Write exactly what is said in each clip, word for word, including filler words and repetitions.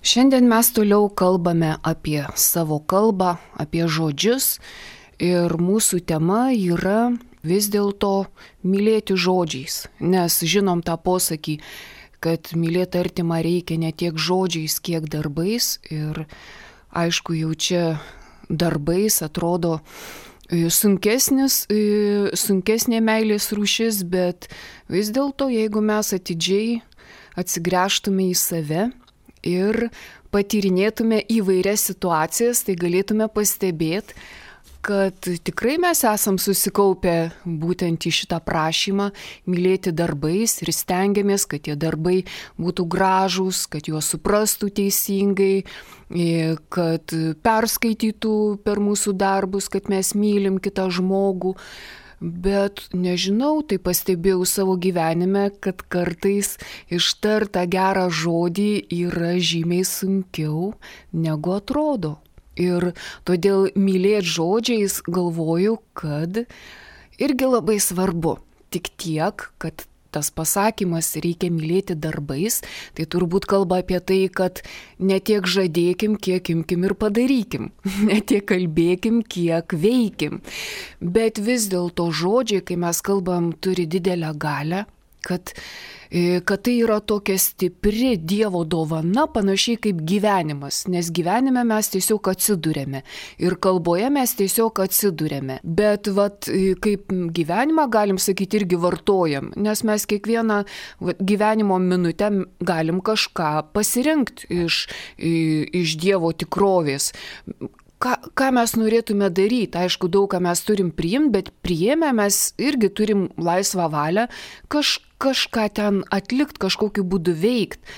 Šiandien mes toliau kalbame apie savo kalbą, apie žodžius ir mūsų tema yra vis dėlto mylėti žodžiais, nes žinom tą posakį, kad mylėti artimą reikia ne tiek žodžiais, kiek darbais ir aišku jau čia darbais atrodo sunkesnis, sunkesnė meilės rūšis, bet vis dėlto jeigu mes atidžiai atsigręžtume į save ir patyrinėtume įvairias situacijas, tai galėtume pastebėti, kad tikrai mes esam susikaupę būtent į šitą prašymą mylėti darbais ir stengiamės, kad tie darbai būtų gražūs, kad juos suprastų teisingai, kad perskaitytų per mūsų darbus, kad mes mylim kitą žmogų. Bet nežinau, tai pastebėjau savo gyvenime, kad kartais ištart tą gerą žodį yra žymiai sunkiau negu atrodo. Ir todėl mylėti žodžiais galvoju, kad irgi labai svarbu. Tik tiek, kad tas pasakymas reikia mylėti darbais, tai turbūt kalba apie tai, kad ne tiek žadėkim, kiek imkim ir padarykim. Ne tiek kalbėkim, kiek veikim. Bet vis dėlto žodžiai, kai mes kalbam, turi didelę galią, kad kad tai yra tokia stipri Dievo dovana, panašiai kaip gyvenimas, nes gyvenime mes tiesiog atsidūrėme ir kalboje mes tiesiog atsidūrėme. Bet vat, kaip gyvenimą galim sakyti irgi vartojam, nes mes kiekvieną vat, gyvenimo minutę galim kažką pasirinkti iš, iš Dievo tikrovės. Ką, ką mes norėtume daryti, aišku, daug ką mes turim priimti, bet priėmę mes irgi turim laisvą valią kaž, kažką ten atlikti, kažkokiu būdu veikti.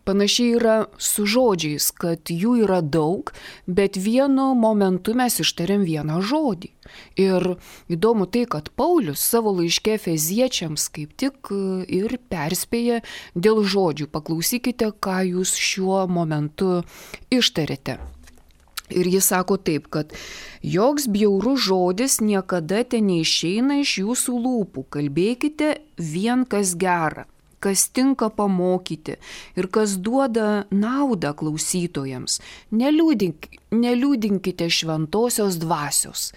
Panašiai yra su žodžiais, kad jų yra daug, bet vienu momentu mes ištariam vieną žodį. Ir įdomu tai, kad Paulius savo laiške Efeziečiams kaip tik ir perspėja dėl žodžių. Paklausykite, ką jūs šiuo momentu ištarėte. Ir jis sako taip, kad joks bjaurus žodis niekada te neišeina iš jūsų lūpų. Kalbėkite vien kas gera, kas tinka pamokyti ir kas duoda naudą klausytojams. Neliūdink, neliūdinkite šventosios dvasios.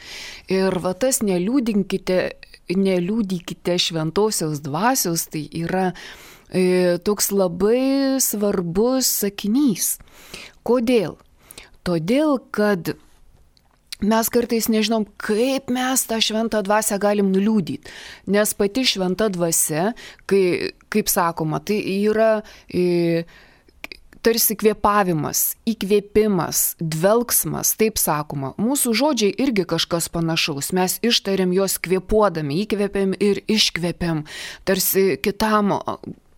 Ir va tas neliūdinkite, neliūdykite šventosios dvasios, tai yra e, toks labai svarbus sakinys. Kodėl? Todėl, kad mes kartais nežinom, kaip mes tą šventą dvasią galim nuliūdyti. Nes pati šventa dvasia, kai, kaip sakoma, tai yra e, tarsi kvėpavimas, įkvėpimas, dvelksmas, taip sakoma. Mūsų žodžiai irgi kažkas panašaus. Mes ištariam juos kvėpuodami, įkvėpiam ir iškvėpiam. Tarsi kitam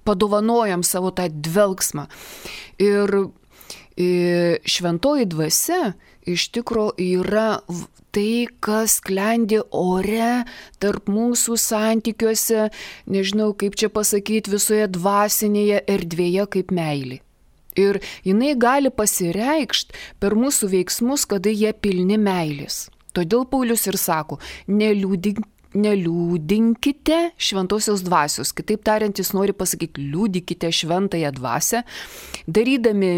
padovanojam savo tą dvelksmą. Ir šventoji dvasia iš tikro yra tai, kas sklendi ore tarp mūsų santykiuose, nežinau kaip čia pasakyti, visoje dvasinėje erdvėje kaip meilė. Ir jinai gali pasireikšti per mūsų veiksmus, kada jie pilni meilės. Todėl Paulius ir sako, neliūdink Neliūdinkite šventosios dvasios. Kitaip tariant, jis nori pasakyti, liūdikite šventąją dvasią, darydami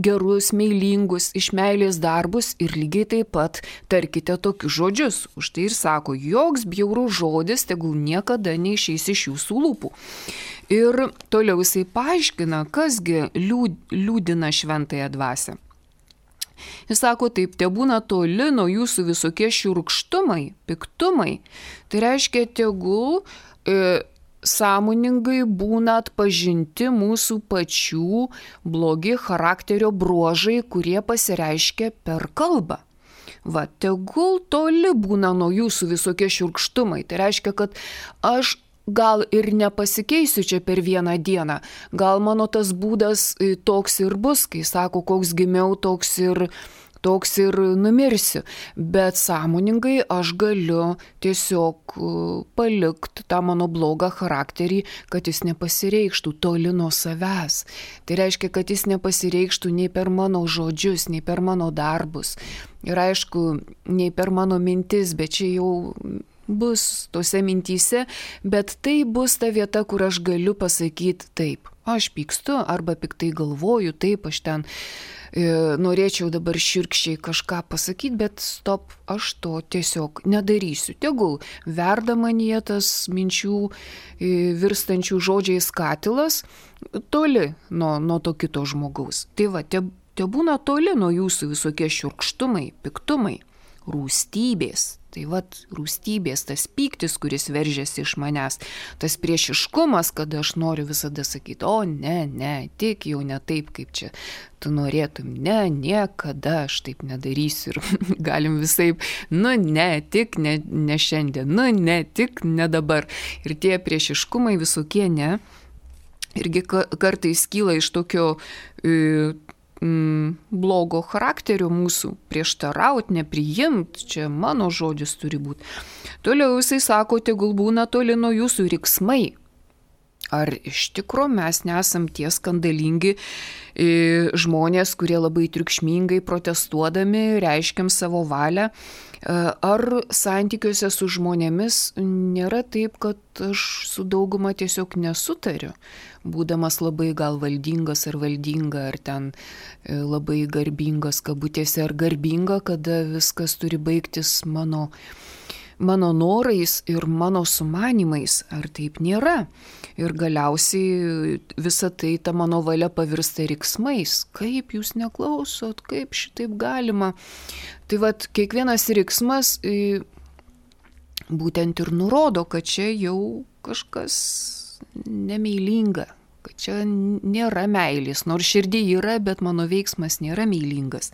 gerus, meilingus, iš meilės darbus ir lygiai taip pat tarkite tokius žodžius. Už tai ir sako, joks bjaurus žodis tegul niekada neišeis iš jūsų lūpų. Ir toliau jisai paaiškina, kasgi liūd, liūdina šventąją dvasią. Jis sako taip, te būna toli nuo jūsų visokie šiurkštumai, piktumai. Tai reiškia, tegul e, sąmoningai būna atpažinti mūsų pačių blogi charakterio bruožai, kurie pasireiškia per kalbą. Va, tegul toli būna nuo jūsų visokie šiurkštumai. Tai reiškia, kad aš gal ir nepasikeisiu čia per vieną dieną. Gal mano tas būdas toks ir bus, kai sako, koks gimiau, toks ir, toks ir numirsiu. Bet sąmoningai aš galiu tiesiog palikti tą mano blogą charakterį, kad jis nepasireikštų toli nuo savęs. Tai reiškia, kad jis nepasireikštų nei per mano žodžius, nei per mano darbus. Ir aišku, nei per mano mintis, bet čia jau bus tose mintyse, bet tai bus ta vieta, kur aš galiu pasakyti taip. Aš pykstu arba piktai galvoju, taip, aš ten norėčiau dabar širkščiai kažką pasakyti, bet stop, aš to tiesiog nedarysiu. Tegul verda manyje tas minčių virstančių žodžiais katilas toli nuo, nuo to kito žmogaus. Tai va, te, te būna toli nuo jūsų visokie šiurkštumai, piktumai, rūstybės. Tai vat rūstybės, tas pyktis, kuris veržiasi iš manęs, tas priešiškumas, kada aš noriu visada sakyti, o ne, ne, tik jau ne taip, kaip čia tu norėtum, ne, niekada aš taip nedarysiu ir galim visaip, nu ne, tik ne, ne šiandien, nu ne, tik ne dabar. Ir tie priešiškumai visokie ne, irgi kartais kyla iš tokio e, Mm, blogo charakterio mūsų, prieštaraut, nepriimt, čia mano žodis turi būti. Toliau jisai sako, tegul būna toli nuo jūsų riksmai. Ar iš tikro mes nesam tie skandalingi e, žmonės, kurie labai triukšmingai protestuodami reiškiam savo valią? Ar santykiuose su žmonėmis nėra taip, kad aš su dauguma tiesiog nesutariu, būdamas labai gal valdingas ar valdinga, ar ten labai garbingas kabutėse, ar garbinga, kada viskas turi baigtis mano, mano norais ir mano sumanimais, ar taip nėra. Ir galiausiai visa tai, ta mano valia pavirsta riksmais. Kaip jūs neklausot, kaip šitaip galima? Tai vat kiekvienas riksmas būtent ir nurodo, kad čia jau kažkas nemeilinga, kad čia nėra meilės, nors širdį yra, bet mano veiksmas nėra meilingas.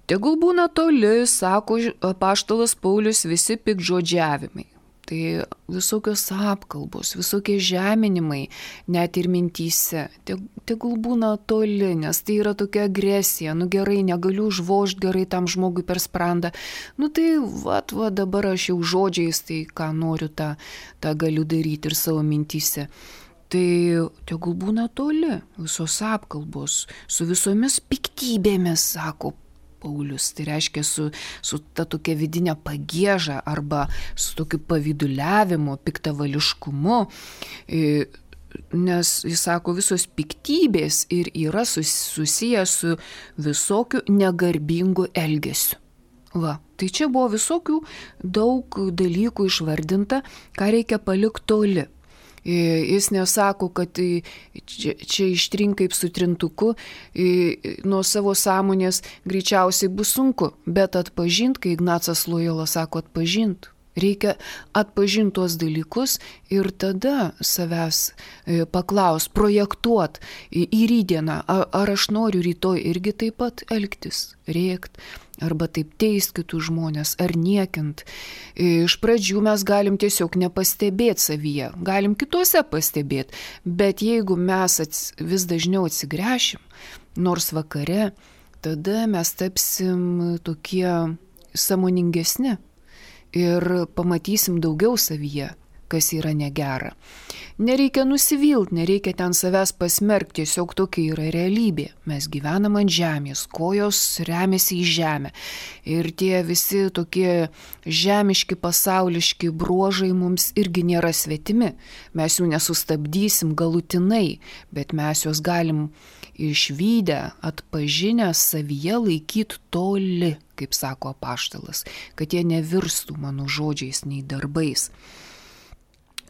Tegul būna toli, sako apaštalas Paulius, visi piktžodžiavimai. Tai visokios apkalbos, visokie žeminimai, net ir mintyse, tegul būna toli, nes tai yra tokia agresija, nu gerai, negaliu užvožti gerai tam žmogui per sprandą, nu tai vat, va dabar aš jau žodžiais, tai ką noriu, tą, tą galiu daryti ir savo mintyse. Tai tegul būna toli, visos apkalbos, su visomis piktybėmis, sako Paulius, tai reiškia su, su ta tokia vidinė pagieža arba su tokiu pavyduliavimu, piktavališkumu, nes jis sako, visos piktybės ir yra susiję su visokiu negarbingu elgesiu. Va, tai čia buvo visokių daug dalykų išvardinta, ką reikia palikti toli. Jis nesako, kad čia, čia ištrink kaip su trintuku, nuo savo sąmonės greičiausiai bus sunku, bet atpažint, kai Ignacas Lojola sako atpažint, reikia atpažinti tuos dalykus ir tada savęs paklaus, projektuot į rydieną, ar aš noriu rytoj irgi taip pat elgtis, rėkt, arba taip teist kitus žmonės, ar niekint. Iš pradžių mes galim tiesiog nepastebėti savyje, galim kituose pastebėti, bet jeigu mes ats, vis dažniau atsigręšim, nors vakare, tada mes tapsim tokie sąmoningesni ir pamatysim daugiau savyje, kas yra negera. Nereikia nusivilt, nereikia ten savęs pasmerkti, tiesiog tokia yra realybė. Mes gyvenam ant žemės, kojos remiasi į žemę. Ir tie visi tokie žemiški, pasauliški bruožai mums irgi nėra svetimi. Mes jų nesustabdysim galutinai, bet mes juos galim išvydę, atpažinę savyje laikyti toli, kaip sako apaštalas, kad jie nevirstų mano žodžiais nei darbais.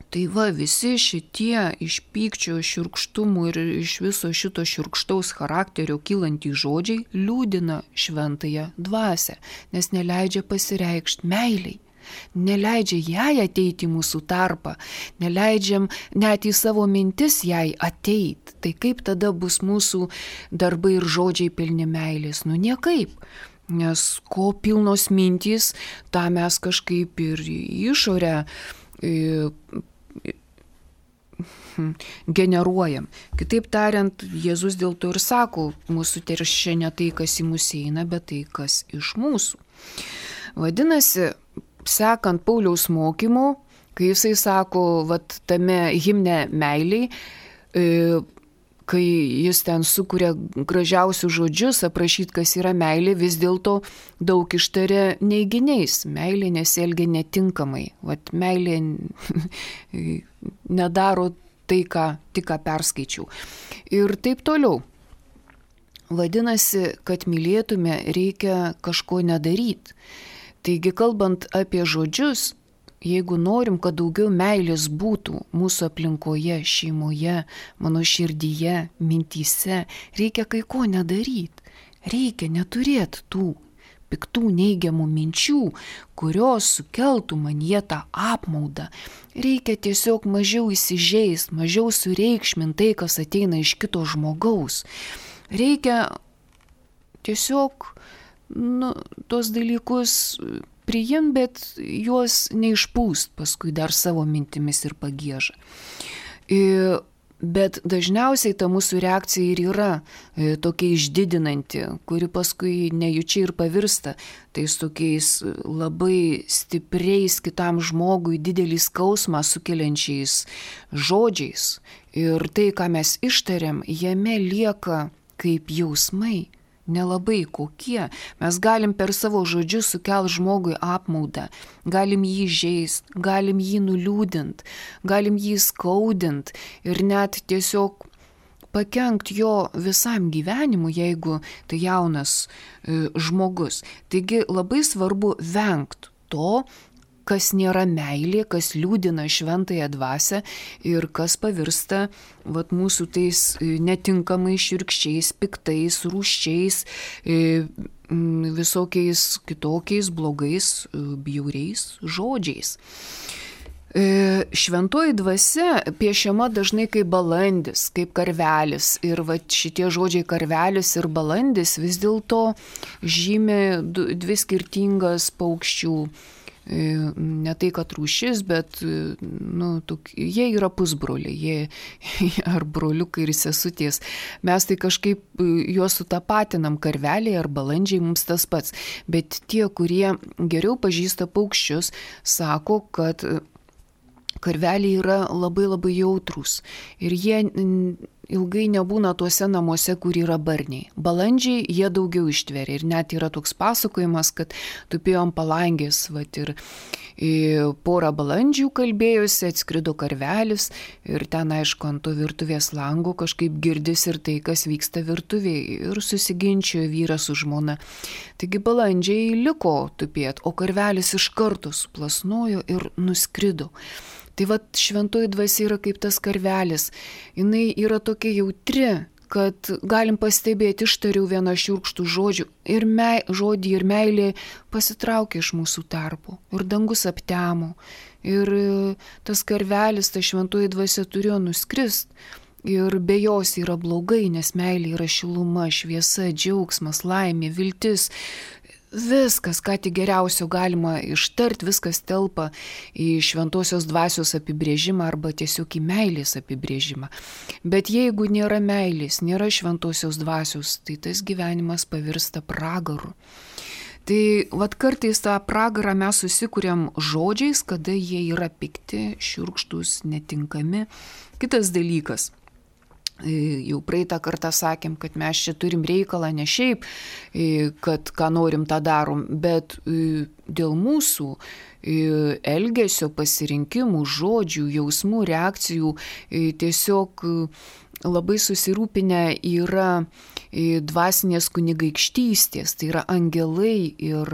Tai va, visi šitie iš pykčio, šiurkštumų ir iš viso šito šiurkštaus charakterio kylantys žodžiai liūdina šventąją dvasią, nes neleidžia pasireikšti meiliai, neleidžia jai ateiti į mūsų tarpą, neleidžiam net į savo mintis jai ateiti. Tai kaip tada bus mūsų darbai ir žodžiai pilni meilės? Nu niekaip. Nes ko pilnos mintys, tą mes kažkaip ir išorę generuojam. Kitaip tariant, Jėzus dėl to ir sako, mūsų teršia ne tai, kas į mus eina, bet tai, kas iš mūsų. Vadinasi, sekant Pauliaus mokymu, kai jisai sako, vat tame himne meiliai, kai jis ten sukuria gražiausius žodžius, aprašyti, kas yra meilė, vis dėlto daug ištaria neiginiais. Meilė nesielgia netinkamai. Vat meilė nedaro tai, ką tik ką perskaičiau. Ir taip toliau. Vadinasi, kad mylėtume, reikia kažko nedaryti. Taigi, kalbant apie žodžius, jeigu norim, kad daugiau meilės būtų mūsų aplinkoje, šeimoje, mano širdyje, mintyse, reikia kai ko nedaryti. Reikia neturėti tų piktų neigiamų minčių, kurios sukeltų manyje tą apmaudą. Reikia tiesiog mažiau įsižeist, mažiau sureikšminti tai, kas ateina iš kito žmogaus. Reikia tiesiog nu, tos dalykus priimti, bet juos neišpūst paskui dar savo mintimis ir pagiežą. Ir Bet dažniausiai ta mūsų reakcija ir yra e, tokia išdidinanti, kuri paskui nejučia ir pavirsta tais tokiais labai stipriais kitam žmogui didelį skausmą sukeliančiais žodžiais. Ir tai, ką mes ištariam, jame lieka kaip jausmai. Nelabai kokie. Mes galim per savo žodžius sukelti žmogui apmaudą, galim jį žeist, galim jį nuliūdint, galim jį skaudint ir net tiesiog pakenkt jo visam gyvenimui, jeigu tai jaunas e, žmogus. Taigi labai svarbu vengt to, kas nėra meilė, kas liūdina šventąją dvasią ir kas pavirsta vat, mūsų tais netinkamais, šiurkščiais, piktais, rūsčiais, visokiais kitokiais blogais, bjauriais žodžiais. Šventoji dvasia piešiama dažnai kaip balandis, kaip karvelis. Ir va, šitie žodžiai karvelis ir balandis vis dėlto žymi dvi skirtingas paukščių. Ne tai, kad rūšis, bet nu, tuk, jie yra pusbroliai, jie ar broliukai ir sesutės. Mes tai kažkaip juos sutapatinam, karveliai ar balandžiai mums tas pats. Bet tie, kurie geriau pažįsta paukščius, sako, kad karveliai yra labai labai jautrūs ir jie ilgai nebūna tuose namuose, kur yra barniai. Balandžiai jie daugiau ištveria ir net yra toks pasakojimas, kad tupėjo ant palangės, vat, ir, ir porą balandžių kalbėjusi, atskrido karvelis ir ten, aišku, ant to virtuvės lango kažkaip girdis ir tai, kas vyksta virtuvėje ir susiginčiojo vyras su žmona. Taigi balandžiai liko tupėt, o karvelis iš karto suplasnojo ir nuskrido. Tai va šventoji dvasia yra kaip tas karvelis. Jinai yra tokia jautri, kad galim pastebėti, ištariau vieną šiurkštų žodžių ir mei, žodį ir meilė pasitraukė iš mūsų tarpo. Ir dangus aptemo. Ir tas karvelis, ta šventoji dvasia turėjo nuskrist. Ir be jos yra blogai, nes meilė yra šiluma, šviesa, džiaugsmas, laimė, viltis. Viskas, ką tik geriausio galima ištart, viskas telpa į šventosios dvasios apibrėžimą arba tiesiog į meilės apibrėžimą. Bet jeigu nėra meilės, nėra šventosios dvasios, tai tas gyvenimas pavirsta pragaru. Tai vat kartais tą pragarą mes susikuriam žodžiais, kada jie yra pikti, šiurkštus, netinkami. Kitas dalykas. Jau praeitą kartą sakėm, kad mes čia turim reikalą ne šiaip, kad ką norim tą darom, bet dėl mūsų elgesio, pasirinkimų, žodžių, jausmų, reakcijų tiesiog labai susirūpinę yra dvasinės kunigaikštystės, tai yra angelai ir,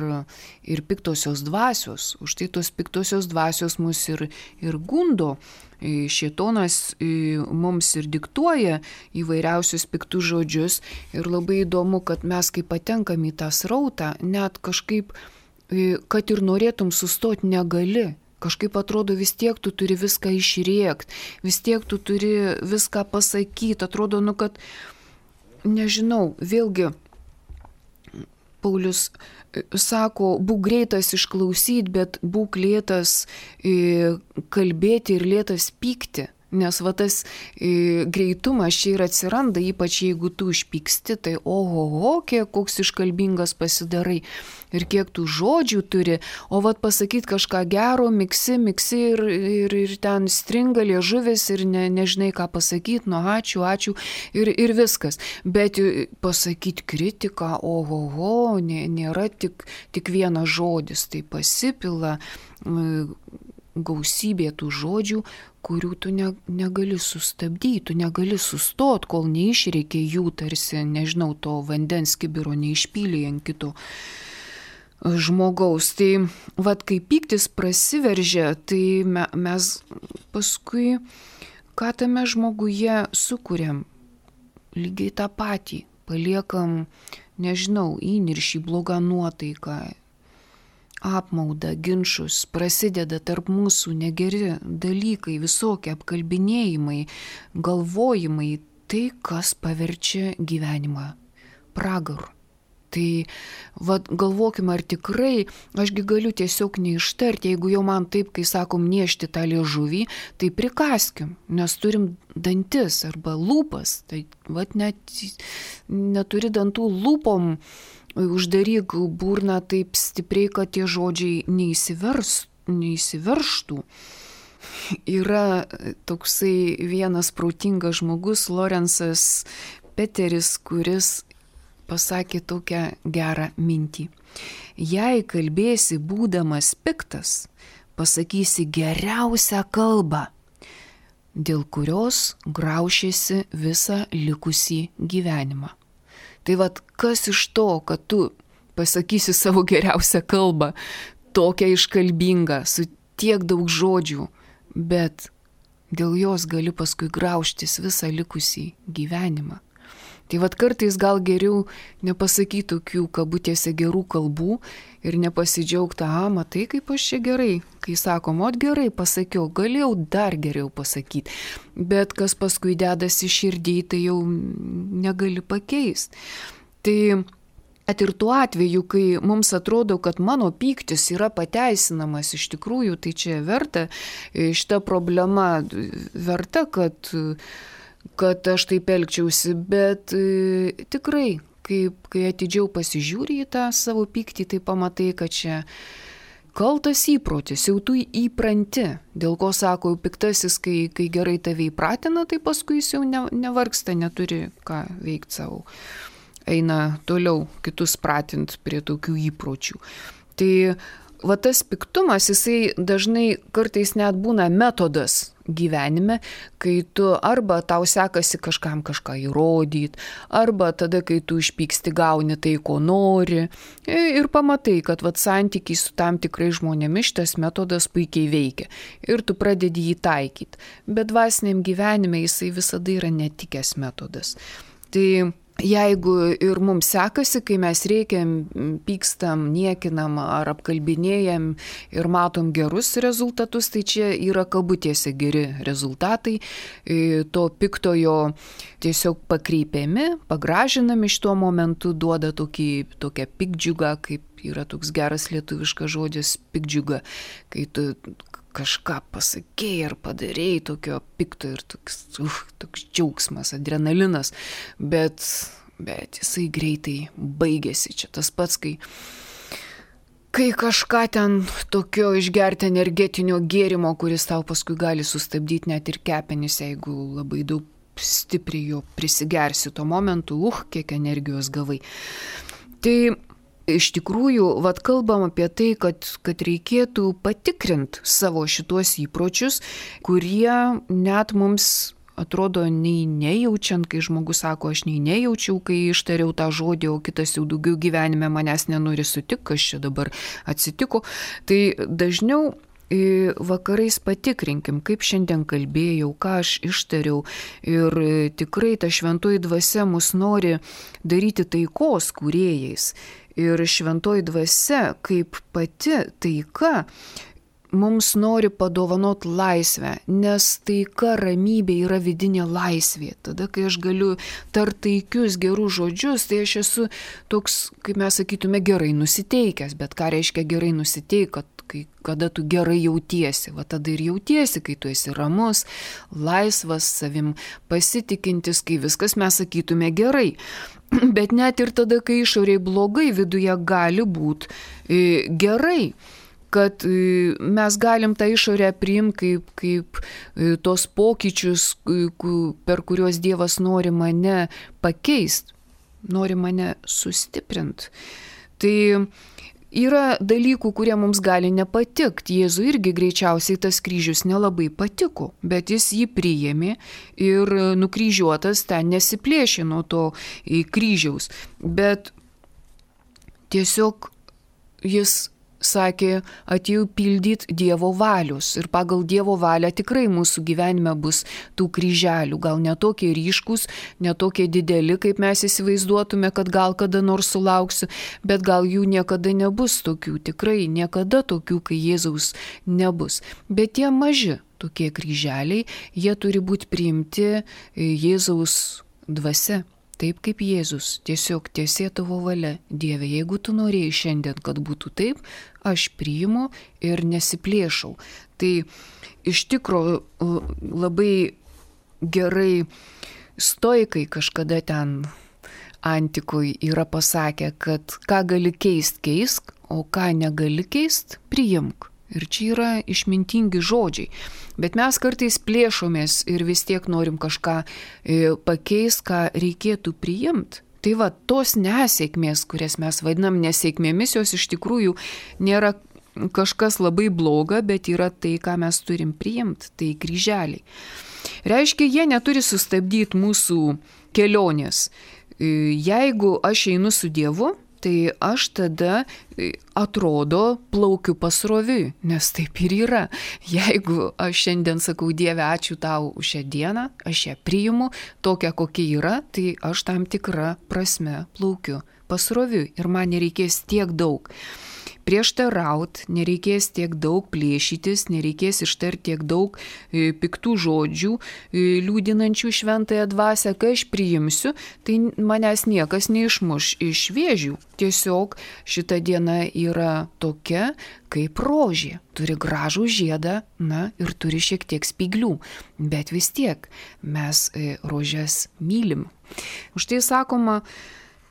ir piktosios dvasios. Už tai tos piktosios dvasios mus ir, ir gundo. Šėtonas mums ir diktuoja įvairiausius piktus žodžius ir labai įdomu, kad mes kai patenkam į tą srautą, net kažkaip, kad ir norėtum sustoti, negali. Kažkaip atrodo, vis tiek tu turi viską išrėkt, vis tiek tu turi viską pasakyti. Atrodo, nu, kad, nežinau, vėlgi, Paulius sako, būk greitas išklausyti, bet būk lėtas kalbėti ir lėtas pykti. Nes va tas e, greitumas čia ir atsiranda, ypač jeigu tu išpyksti, tai ohoho, kiek koks iškalbingas pasidarai ir kiek tų žodžių turi, o vat pasakyti kažką gero, miksi, miksi ir, ir, ir ten stringa liežuvis ir ne, nežinai ką pasakyti, nu ačiū, ačiū ir, ir viskas. Bet pasakyti kritiką, ohoho, nė, nėra tik, tik vienas žodis, tai pasipila gausybė tų žodžių, kurių tu ne, negali sustabdyti, tu negali sustot, kol neišreikia jų tarsi, nežinau, to vandens kibiro neišpylė ant kito žmogaus. Tai vat kai pyktis prasiveržia, tai me, mes paskui, ką tame žmoguje sukuriam, lygiai tą patį, paliekam, nežinau, įniršį, blogą nuotaiką, apmaudą, ginčus, prasideda tarp mūsų negeri dalykai, visokie apkalbinėjimai, galvojimai, tai kas paverčia gyvenimą pragaru. Tai vat, galvokim, ar tikrai, ašgi galiu tiesiog neištarti, jeigu jau man taip, kai sakom, niešti tą liežuvį, tai prikaskim, nes turim dantis arba lūpas, tai vat net neturi dantų lūpom, uždaryk burną taip stipriai, kad tie žodžiai neįsivers, neįsiverštų. Yra toksai vienas protingas žmogus, Lorenzas Peteris, kuris pasakė tokią gerą mintį. Jei kalbėsi būdamas piktas, pasakysi geriausią kalbą, dėl kurios graušiesi visą likusį gyvenimą. Tai vat kas iš to, kad tu pasakysi savo geriausią kalbą, tokią iškalbingą, su tiek daug žodžių, bet dėl jos gali paskui grauštis visą likusį gyvenimą. Tai vat kartais gal geriau nepasakyti tokių kabutėse gerų kalbų ir nepasidžiaugti, a, matai, kaip aš čia gerai. Kai sakom, ot gerai pasakiau, galėjau dar geriau pasakyti. Bet kas paskui dedasi širdį, tai jau negali pakeisti. Tai at ir tuo atveju, kai mums atrodo, kad mano pyktis yra pateisinamas iš tikrųjų, tai čia verta, šita problema verta, kad kad aš taip elgčiausi, bet e, tikrai, kaip, kai atidžiau pasižiūri į tą savo pyktį, tai pamatai, kad čia kaltas įprotis, jau tu įpranti, dėl ko sako, piktasis, kai, kai gerai tave įpratina, tai paskui jis jau ne, nevargsta, neturi ką veikti savo. Eina toliau kitus pratint prie tokių įpročių. Tai va tas piktumas, jisai dažnai kartais net būna metodas gyvenime, kai tu arba tau sekasi kažkam kažką įrodyti, arba tada, kai tu išpyksti, gauni tai, ko nori, ir pamatai, kad vat santykiai su tam tikrai žmonėmis šitas metodas puikiai veikia ir tu pradedi jį taikyti. Bet dvasiniam gyvenime jisai visada yra netikęs metodas. Tai jeigu ir mums sekasi, kai mes reikiam, pykstam, niekinam ar apkalbinėjam ir matom gerus rezultatus, tai čia yra kabutėse geri rezultatai, to piktojo tiesiog pakreipiami, pagražinami iš tuo momentu, duoda tokį, tokią pikdžiugą, kaip yra toks geras lietuviškas žodis pikdžiuga, kai tu kažką pasakėjai ar padarėjai tokio pikto ir toks, uh, toks džiaugsmas, adrenalinas, bet, bet jisai greitai baigėsi. Čia tas pats, kai, kai kažką ten tokio išgerti energetinio gėrimo, kuris tau paskui gali sustabdyti net ir kepenis, jeigu labai daug stipriai jo prisigersi tuo momentu, uh, kiek energijos gavai. Tai iš tikrųjų, vat kalbam apie tai, kad, kad reikėtų patikrinti savo šituos įpročius, kurie net mums atrodo nei nejaučiant, kai žmogus sako, aš nei nejaučiau, kai ištariau tą žodį, o kitas jau daugiau gyvenime manęs nenori sutikti, kas čia dabar atsitiko. Tai dažniau vakarais patikrinkim, kaip šiandien kalbėjau, ką aš ištariau ir tikrai ta šventoji dvasia mus nori daryti taikos kūrėjais. Ir šventoji dvasia, kaip pati taika, mums nori padovanot laisvę, nes taika, ramybė yra vidinė laisvė. Tada, kai aš galiu tart taikius gerus žodžius, tai aš esu toks, kaip mes sakytume, gerai nusiteikęs. Bet ką reiškia gerai nusiteik, kad kai, kada tu gerai jautiesi, va tada ir jautiesi, kai tu esi ramus, laisvas, savim pasitikintis, kai viskas mes sakytume gerai. Bet net ir tada, kai išoriai blogai, viduje gali būti e, gerai, kad e, mes galim tą išorę priimti kaip, kaip e, tos pokyčius, e, per kuriuos Dievas nori mane pakeisti, nori mane sustiprinti. Tai Yra dalykų, kurie mums gali nepatikti. Jėzui irgi greičiausiai tas kryžius nelabai patiko, bet jis jį priėmė ir nukryžiuotas ten nesiplėšė nuo to kryžiaus. Bet tiesiog jis sakė, atėjau pildyti Dievo valios ir pagal Dievo valią tikrai mūsų gyvenime bus tų kryželių, gal netokie ryškus, netokie dideli, kaip mes įsivaizduotume, kad gal kada nors sulauksiu, bet gal jų niekada nebus tokių, tikrai niekada tokių, kai Jėzaus nebus. Bet tie maži tokie kryželiai, jie turi būti priimti Jėzaus dvasia. Taip kaip Jėzus, tiesiog tiesė tavo valia, Dieve, jeigu tu norėjai šiandien, kad būtų taip, aš priimu ir nesiplėšau. Tai iš tikro labai gerai stoikai kažkada ten antikoje yra pasakę, kad ką gali keist, keisk, o ką negali keist, priimk. Ir čia yra išmintingi žodžiai. Bet mes kartais plėšomės ir vis tiek norim kažką pakeisti, ką reikėtų priimti. Tai va, tos nesėkmės, kurias mes vadinam nesėkmėmis, jos iš tikrųjų nėra kažkas labai bloga, bet yra tai, ką mes turim priimti, tai kryželiai. Reiškia, jie neturi sustabdyti mūsų kelionės. Jeigu aš einu su Dievu, tai aš tada atrodo plaukiu pasroviui, nes taip ir yra. Jeigu aš šiandien sakau, Dieve, ačiū tau už šią dieną, aš ją priimu, tokia kokia yra, tai aš tam tikrą prasme plaukiu pasroviui ir man nereikės tiek daug prieštaraut, nereikės tiek daug plėšytis, nereikės ištarti tiek daug e, piktų žodžių, e, liūdinančių šventąją dvasią, kai aš priimsiu, tai manęs niekas neišmuš iš vėžių. Tiesiog šita diena yra tokia, kaip rožė. Turi gražų žiedą, na ir turi šiek tiek spyglių, bet vis tiek mes e, rožės mylim. Už tai sakoma,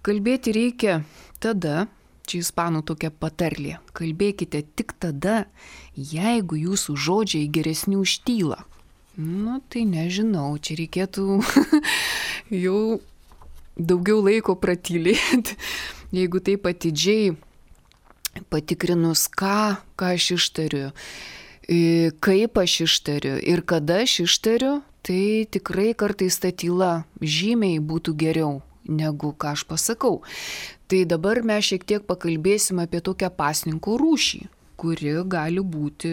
kalbėti reikia tada, čia ispanų tokia patarlė. Kalbėkite tik tada, jeigu jūsų žodžiai geresni už tylą. Nu, tai nežinau, čia reikėtų jau daugiau laiko pratylėti. Jeigu taip atidžiai patikrinus, ką, ką aš ištariu, kaip aš ištariu ir kada aš ištariu, tai tikrai kartais ta tyla žymiai būtų geriau negu ką aš pasakau. Tai dabar mes šiek tiek pakalbėsim apie tokią pasninko rūšį, kuri gali būti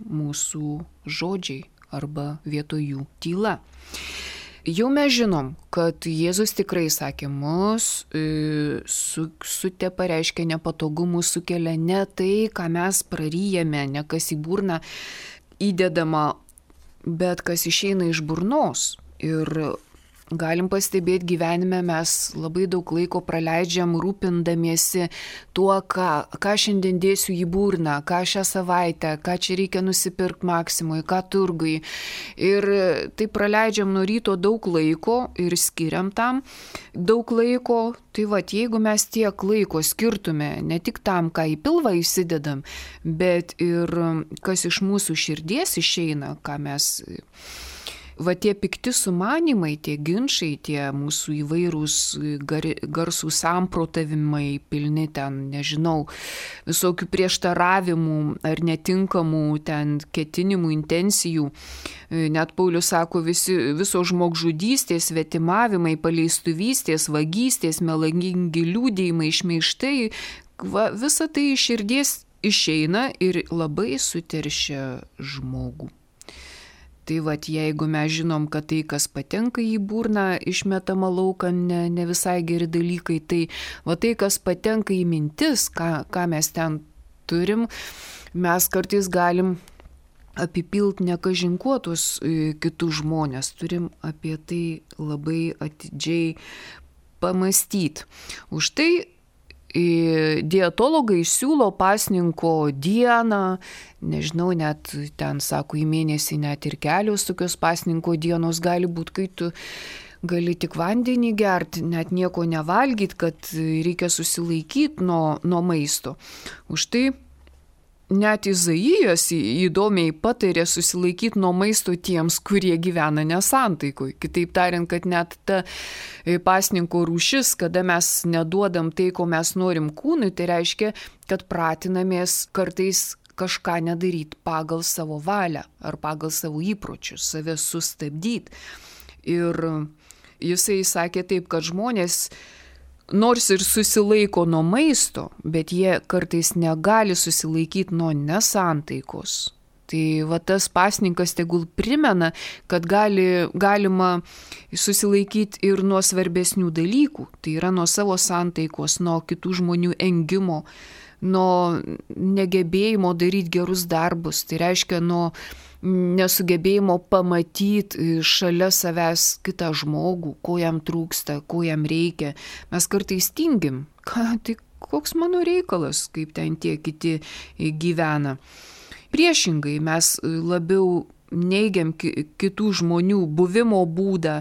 mūsų žodžiai arba vietoj jų tyla. Jau mes žinom, kad Jėzus tikrai sakė, mus su, sutepa, reiškia nepatogumų sukelia ne tai, ką mes praryjame, ne kas į burną įdedama, bet kas išeina iš burnos. Ir galim pastebėti gyvenime, mes labai daug laiko praleidžiam rūpindamiesi tuo, ką, ką šiandien dėsiu į burną, ką šią savaitę, ką čia reikia nusipirkti Maksimui, ką turgui. Ir tai praleidžiam nuo ryto daug laiko ir skiriam tam daug laiko. Tai va, jeigu mes tiek laiko skirtume ne tik tam, ką į pilvą įsidedam, bet ir kas iš mūsų širdies išeina, ką mes... Va tie pikti sumanimai, tie ginčai, tie mūsų įvairūs gar, garsų samprotavimai, pilni ten, nežinau, visokių prieštaravimų ar netinkamų ten ketinimų, intencijų. Net Paulius sako, visi, viso žmogžudystės, svetimavimai, paleistuvystės, vagystės, melagingi liūdėjimai, šmeižtai, va, visa tai iš širdies išeina ir labai suteršia žmogų. Tai vat, jeigu mes žinom, kad tai, kas patenka į burną, išmetama laukan, ne, ne visai geri dalykai, tai va tai, kas patenka į mintis, ką, ką mes ten turim, mes kartais galim apipilti nekažinkuotus kitus žmonės, turim apie tai labai atidžiai pamastyti. Už tai dietologai siūlo pasninko dieną, nežinau, net ten, sako, į mėnesį net ir kelios tokios pasninko dienos gali būti, kai tu gali tik vandenį gerti, net nieko nevalgyti, kad reikia susilaikyti nuo, nuo maisto. Už tai net Izaijas įdomiai patarė susilaikyti nuo maisto tiems, kurie gyvena nesantaikoj. Kitaip tariant, kad net ta pasninko rūšis, kada mes neduodam tai, ko mes norim kūnui, tai reiškia, kad pratinamės kartais kažką nedaryti pagal savo valią ar pagal savo įpročius, save sustabdyti. Ir jisai sakė taip, kad žmonės nors ir susilaiko nuo maisto, bet jie kartais negali susilaikyti nuo nesantaikos. Tai va tas pasninkas tegul primena, kad gali, galima susilaikyti ir nuo svarbesnių dalykų. Tai yra nuo savo santaikos, nuo kitų žmonių engimo, nuo negebėjimo daryti gerus darbus. Tai reiškia nuo nesugebėjimo pamatyti šalia savęs kitą žmogų, ko jam trūksta, ko jam reikia. Mes kartais tingim, ką, tai koks mano reikalas, kaip ten tie kiti gyvena. Priešingai mes labiau neigiam kitų žmonių buvimo būdą,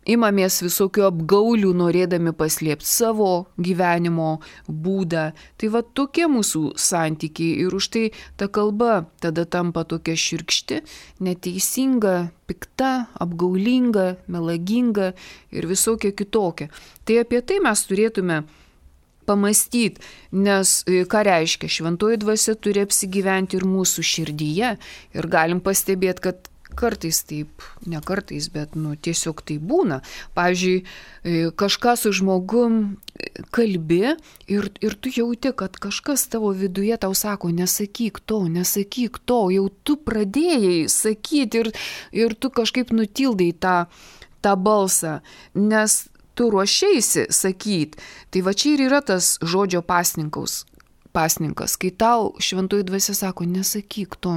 imamės visokių apgaulių, norėdami paslėpti savo gyvenimo būdą. Tai va tokie mūsų santykiai ir už tai ta kalba tada tampa tokia šiurkšti, neteisinga, pikta, apgaulinga, melaginga ir visokia kitokia. Tai apie tai mes turėtume pamastyti, nes ką reiškia, šventoji dvasia turi apsigyventi ir mūsų širdyje ir galim pastebėti, kad kartais taip, ne kartais, bet nu, tiesiog tai būna. Pavyzdžiui, kažką su žmogum kalbi ir, ir tu jauti, kad kažkas tavo viduje tau sako, nesakyk to, nesakyk to, jau tu pradėjai sakyti ir, ir tu kažkaip nutildai tą, tą balsą, nes tu ruošeisi sakyti. Tai va čia ir yra tas žodžio pasninkaus. Pasninkas, kai tau šventoji dvasia sako, nesakyk to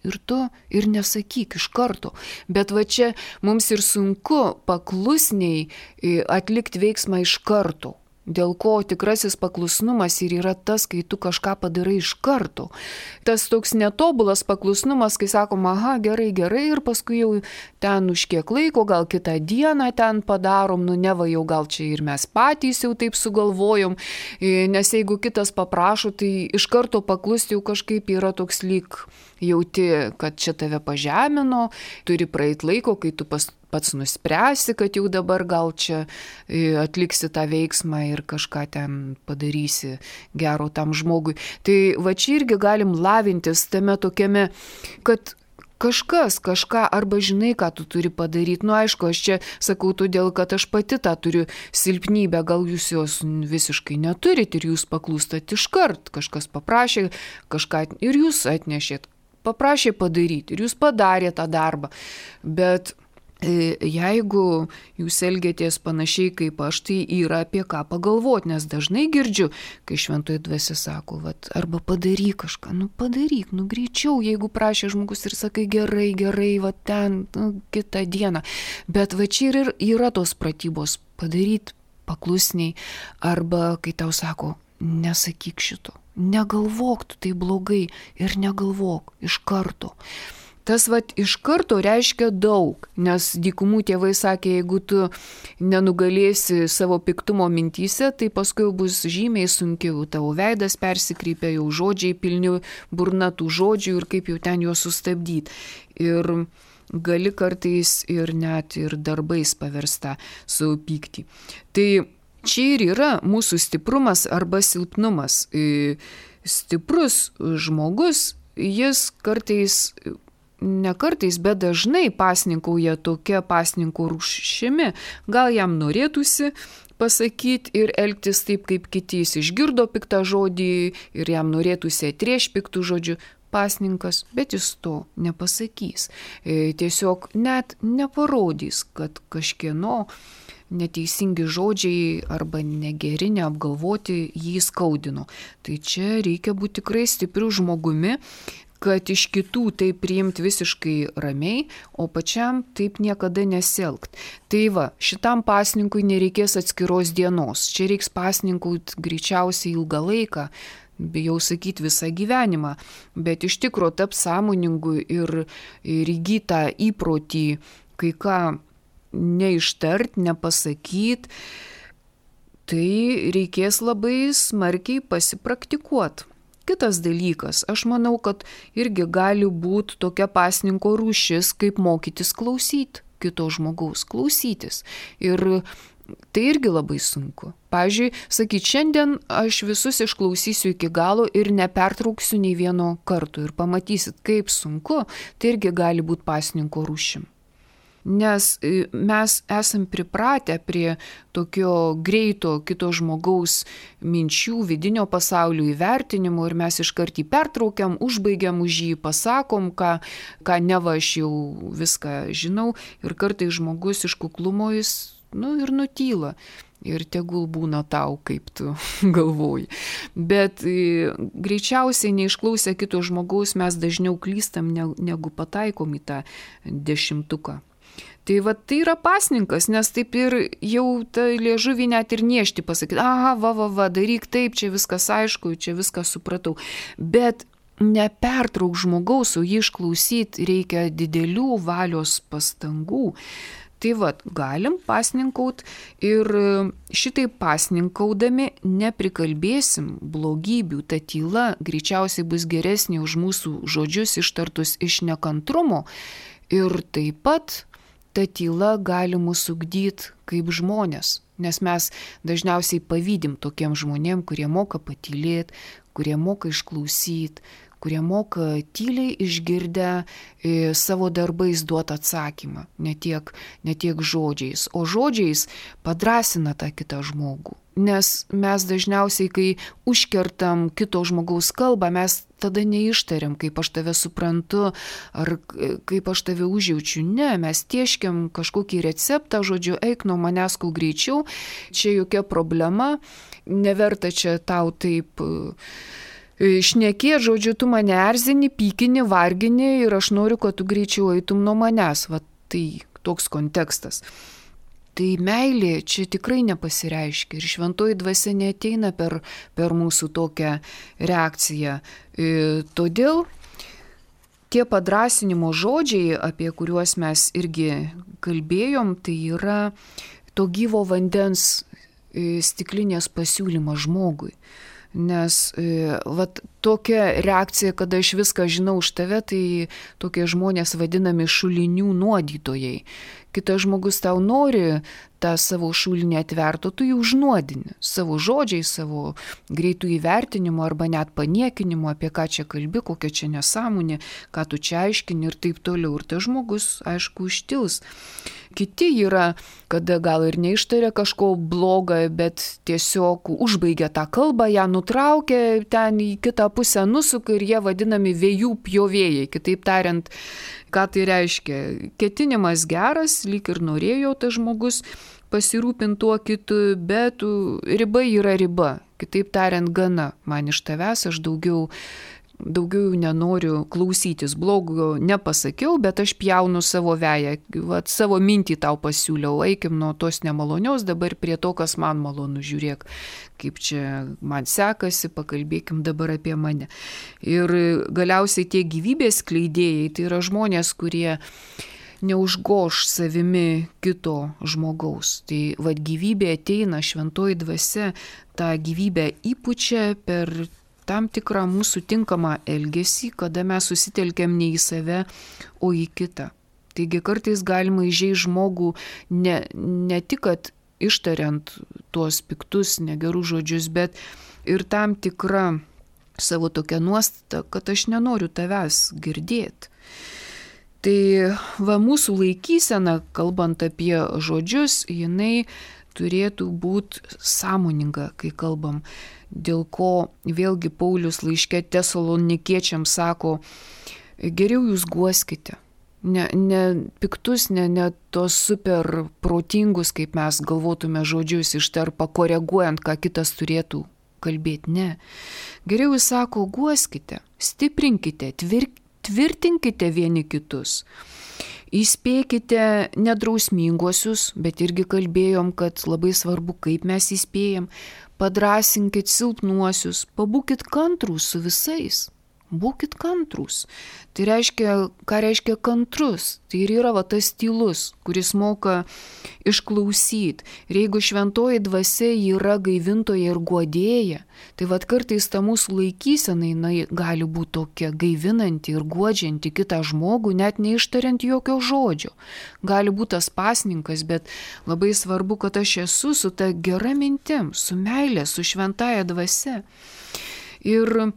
ir tu ir nesakyk iš karto. Bet va čia mums ir sunku paklusniai atlikti veiksmą iš karto. Dėl ko tikrasis paklusnumas ir yra tas, kai tu kažką padarai iš karto. Tas toks netobulas paklusnumas, kai sakom, aha, gerai, gerai, ir paskui jau ten už kiek laiko, gal kitą dieną ten padarom, nu neva jau gal čia ir mes patys jau taip sugalvojom, nes jeigu kitas paprašo, tai iš karto paklusti jau kažkaip yra toks lyg jauti, kad čia tave pažemino, turi praeit laiko, kai tu pas pats nuspręsi, kad jau dabar gal čia atliksi tą veiksmą ir kažką ten padarysi gero tam žmogui. Tai va čia irgi galim lavintis tame tokiame, kad kažkas kažką arba žinai, ką tu turi padaryti. Nu aišku, aš čia sakau todėl, kad aš pati tą turiu silpnybę, gal jūs jos visiškai neturit ir jūs paklūstat iškart. Kažkas paprašė kažką ir jūs atnešėt, paprašė padaryti ir jūs padarė tą darbą. Bet jeigu jūs elgiatės panašiai kaip aš, tai yra apie ką pagalvoti, nes dažnai girdžiu, kai šventoji dvasia sako, vat, arba padaryk kažką, nu padaryk, nu greičiau, jeigu prašė žmogus ir sakai gerai, gerai, va ten, nu, kitą dieną. Bet va čia ir yra tos pratybos, padaryti paklusniai, arba kai tau sako, nesakyk šito, negalvok, tu tai blogai ir negalvok iš karto. Tas vat iš karto reiškia daug, nes dykumų tėvai sakė, jeigu tu nenugalėsi savo piktumo mintyse, tai paskui bus žymiai sunkiau, tavo veidas persikreipia, jau žodžiai pilni burna tų žodžių ir kaip jau ten juos sustabdyti. Ir gali kartais ir net ir darbais paversta savo pyktį. Tai čia ir yra mūsų stiprumas arba silpnumas. Stiprus žmogus, jis kartais ne kartais, bet dažnai pasninkauja tokia pasninko rūšimi. Gal jam norėtųsi pasakyti ir elgtis taip, kaip kiti, jis išgirdo piktą žodį ir jam norėtųsi atrieš piktų žodžių. Pasninkas, bet jis to nepasakys. Tiesiog net neparodys, kad kažkieno neteisingi žodžiai arba negeri, neapgalvoti jį skaudino. Tai čia reikia būti tikrai stipriu žmogumi, kad iš kitų tai priimti visiškai ramiai, o pačiam taip niekada nesielgt. Tai va, šitam pasninkui nereikės atskiros dienos. Čia reiks pasninkui greičiausiai ilgą laiką, bijau sakyti visą gyvenimą, bet iš tikro tap sąmoningu ir, ir įgytą įprotį, kai ką neištart, nepasakyt, tai reikės labai smarkiai pasipraktikuoti. Kitas dalykas, aš manau, kad irgi gali būti tokia pasninko rūšis, kaip mokytis klausyti kito žmogaus, klausytis. Ir tai irgi labai sunku. Pavyzdžiui, sakyt, šiandien aš visus išklausysiu iki galo ir nepertrauksiu nei vieno karto ir pamatysit, kaip sunku, tai irgi gali būti pasninko rūšim. Nes mes esam pripratę prie tokio greito kito žmogaus minčių, vidinio pasaulio įvertinimo ir mes iškart jį pertraukiam, užbaigiam už jį, pasakom, ką, ką neva aš jau viską žinau ir kartais žmogus iš kuklumo jis nu, ir nutyla. Ir tegul būna tau, kaip tu galvoji. Bet e, greičiausiai neišklausę kito žmogaus mes dažniau klystam, negu pataikom į tą dešimtuką. Tai va tai yra pasninkas, nes taip ir jau tą liežuvį net ir niešti pasakyti, aha, va, va, va, daryk taip, čia viskas aišku, čia viską supratau. Bet nepertrauk žmogaus, o jį išklausyti reikia didelių valios pastangų. Tai va, galim pasninkaut ir šitai pasninkaudami neprikalbėsim blogybių, ta tyla greičiausiai bus geresnė už mūsų žodžius ištartus iš nekantrumo ir taip pat ta tyla gali mus ugdyti kaip žmonės, nes mes dažniausiai pavydim tokiem žmonėm, kurie moka patylėti, kurie moka išklausyti, kurie moka tyliai išgirdę e, savo darbais duoti atsakymą, ne tiek, ne tiek žodžiais, o žodžiais padrąsina tą kitą žmogų. Nes mes dažniausiai, kai užkertam kito žmogaus kalbą, mes tada neištariam, kaip aš tave suprantu, ar kaip aš tave užjaučiu. Ne, mes tieškiam kažkokį receptą, žodžiu, eik nuo manęs kuo greičiau, čia jokia problema, neverta čia tau taip šnekė, žodžiu, tu mane erzini, pykini, vargini ir aš noriu, kad tu greičiau eitum nuo manęs. Va tai toks kontekstas. Tai meilė čia tikrai nepasireiškia ir šventoji dvasia neateina per, per mūsų tokią reakciją. E, todėl tie padrąsinimo žodžiai, apie kuriuos mes irgi kalbėjom, tai yra to gyvo vandens e, stiklinės pasiūlymas žmogui. Nes e, vat, tokia reakcija, kada aš viską žinau už tave, tai tokie žmonės vadinami šulinių nuodytojai. Kitas žmogus tau nori tą savo šulinį atverto, tu jį užnuodini savo žodžiais, savo greitų įvertinimo arba net paniekinimo, apie ką čia kalbi, kokia čia nesąmonė, ką tu čia aiškini ir taip toliau. Ir tas žmogus, aišku, užtils. Kiti yra, kada gal ir neištaria kažko blogą, bet tiesiog užbaigia tą kalbą, ją nutraukia, ten į kitą pusę nusuka ir jie vadinami vėjų pjovėjai. Kitaip tariant, ką tai reiškia? Ketinimas geras, lyg ir norėjo tas žmogus pasirūpinti tuo kitu, bet riba yra riba. Kitaip tariant, gana. Man iš tavęs aš daugiau, daugiau nenoriu klausytis. Blogo nepasakiau, bet aš pjaunu savo veją. Vat savo mintį tau pasiūliau. Eikim nuo tos nemalonios dabar prie to, kas man malonu. Žiūrėk, kaip čia man sekasi, pakalbėkim dabar apie mane. Ir galiausiai tie gyvybės skleidėjai, tai yra žmonės, kurie neužgoš savimi kito žmogaus. Tai vad gyvybė ateina, šventoji dvasia tą gyvybę įpučia per tam tikrą mūsų tinkamą elgesį, kada mes susitelkiam ne į save, o į kitą. Taigi kartais galima įžeisti žmogų ne, ne tik, kad ištariant tuos piktus, negerus žodžius, bet ir tam tikrą savo tokią nuostatą, kad aš nenoriu tavęs girdėti. Tai va mūsų laikysena, kalbant apie žodžius, jinai turėtų būti sąmoninga, kai kalbam. Dėl ko vėlgi Paulius laiške Tesalonikiečiams sako, geriau jūs guoskite. Ne, ne piktus, ne, ne tos super protingus, kaip mes galvotume žodžius ištarpa, koreguojant, ką kitas turėtų kalbėti. Ne. Geriau jis sako, guoskite, stiprinkite, tvirk, tvirtinkite vieni kitus. Įspėkite nedrausminguosius, bet irgi kalbėjom, kad labai svarbu, kaip mes įspėjam. Padrąsinkit silpnuosius, pabūkit kantrūs su visais. Būkit kantrus. Tai reiškia, ką reiškia kantrus? Tai ir yra va tas tylus, kuris moka išklausyti. Ir jeigu šventoji dvasia yra gaivintoja ir guodėja, tai va kartais ta mūsų laikysena jinai gali būti tokia gaivinanti ir guodžianti kitą žmogų, net neištariant jokio žodžio. Gali būti tas pasninkas, bet labai svarbu, kad aš esu su ta gera mintim, su meilė, su šventaja dvasia. Ir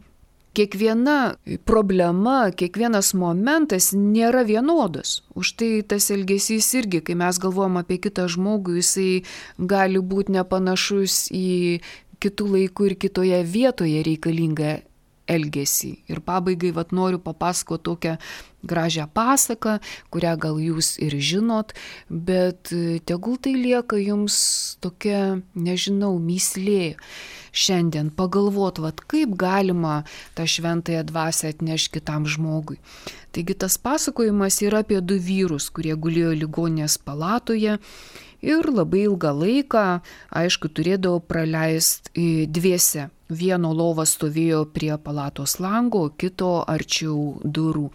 kiekviena problema, kiekvienas momentas nėra vienodas. Už tai tas elgesys irgi, kai mes galvojam apie kitą žmogų, jisai gali būti nepanašus į kitų laikų ir kitoje vietoje reikalingą elgesį. Ir pabaigai vat noriu papasakoti tokią gražią pasaką, kurią gal jūs ir žinot, bet tegul tai lieka jums tokia, nežinau, mįslė. Šiandien pagalvot, vat, kaip galima tą šventąją dvasią atnešti kitam žmogui. Taigi tas pasakojimas yra apie du vyrus, kurie gulėjo ligoninės palatoje ir labai ilgą laiką, aišku, turėdavo praleisti dviese. Vieno lova stovėjo prie palatos lango, kito arčiau durų.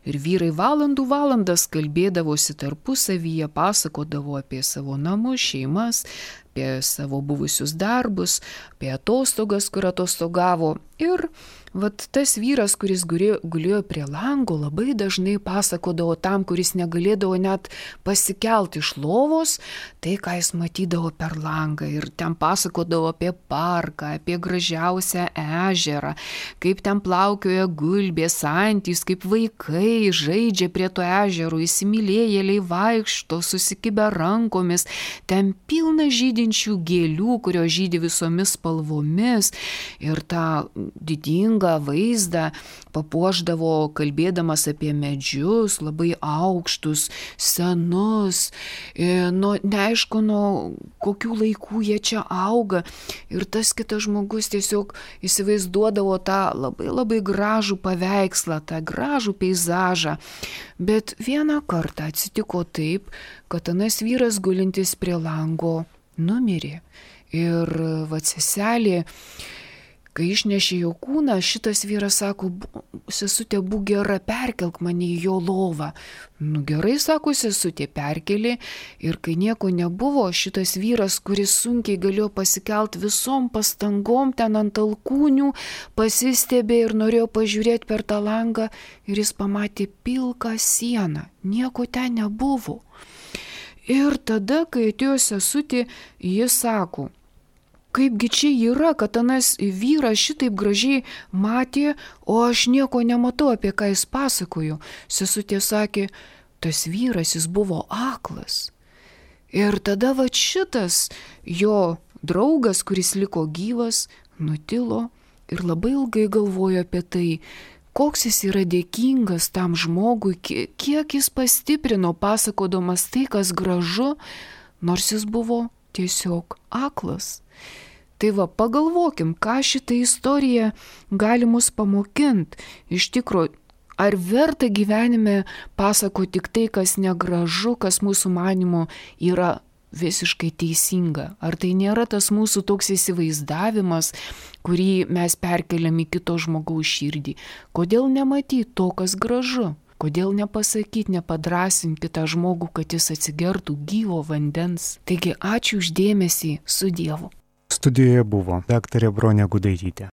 Ir vyrai valandų valandas kalbėdavosi tarpusavyje, pasakodavo apie savo namus, šeimas, apie savo buvusius darbus, apie atostogas, kur atostogavo. Ir vat tas vyras, kuris gulėjo, gulėjo prie lango, labai dažnai pasakodavo tam, kuris negalėdavo net pasikelti iš lovos, tai, ką jis matydavo per langą. Ir ten pasakodavo apie parką, apie gražiausią ežerą, kaip ten plaukioja gulbės, antys, kaip vaikai žaidžia prie to ežero, įsimylėjėliai vaikšto, susikibę rankomis, ten pilna žydinčių gėlių, kurios žydi visomis spalvomis. Ir tą didingą vaizdą papuošdavo kalbėdamas apie medžius, labai aukštus, senus, nu, neaišku, nuo kokių laikų jie čia auga. Ir tas kitas žmogus tiesiog įsivaizduodavo tą labai labai gražų paveikslą, tą gražų peizažą. Bet vieną kartą atsitiko taip, kad anas vyras gulintis prie lango numirė. Ir va seselė, kai išnešė jo kūną, šitas vyras sako, sesutė, būk gera, perkelk mane į jo lovą. Nu gerai, sako sesutė, perkelė. Ir kai nieko nebuvo, šitas vyras, kuris sunkiai galėjo pasikelt visom pastangom ten ant alkūnių, pasistebė ir norėjo pažiūrėti per tą langą ir jis pamatė pilką sieną. Nieko ten nebuvo. Ir tada, kai atėjo sesutė, jis sako, kaipgi čia yra, kad anas vyras šitaip gražiai matė, o aš nieko nematau, apie ką jis pasakojo. Sesutė sakė, tas vyras jis buvo aklas. Ir tada va šitas jo draugas, kuris liko gyvas, nutilo ir labai ilgai galvojo apie tai, koks jis yra dėkingas tam žmogui, kiek jis pastiprino pasakodamas tai, kas gražu, nors jis buvo tiesiog aklas. Tai va, pagalvokim, ką šitą istoriją gali mus pamokinti. Iš tikrųjų, ar verta gyvenime pasakoti tik tai, kas negražu, kas mūsų manymu yra visiškai teisinga? Ar tai nėra tas mūsų toks įsivaizdavimas, kurį mes perkeliam į kito žmogaus širdį? Kodėl nematyti to, kas gražu? Kodėl nepasakyti, nepadrasinti kitą žmogų, kad jis atsigertų gyvo vandens? Taigi ačiū už dėmesį, su Dievu. Studijoje buvo daktarė Bronė Gudaitytė.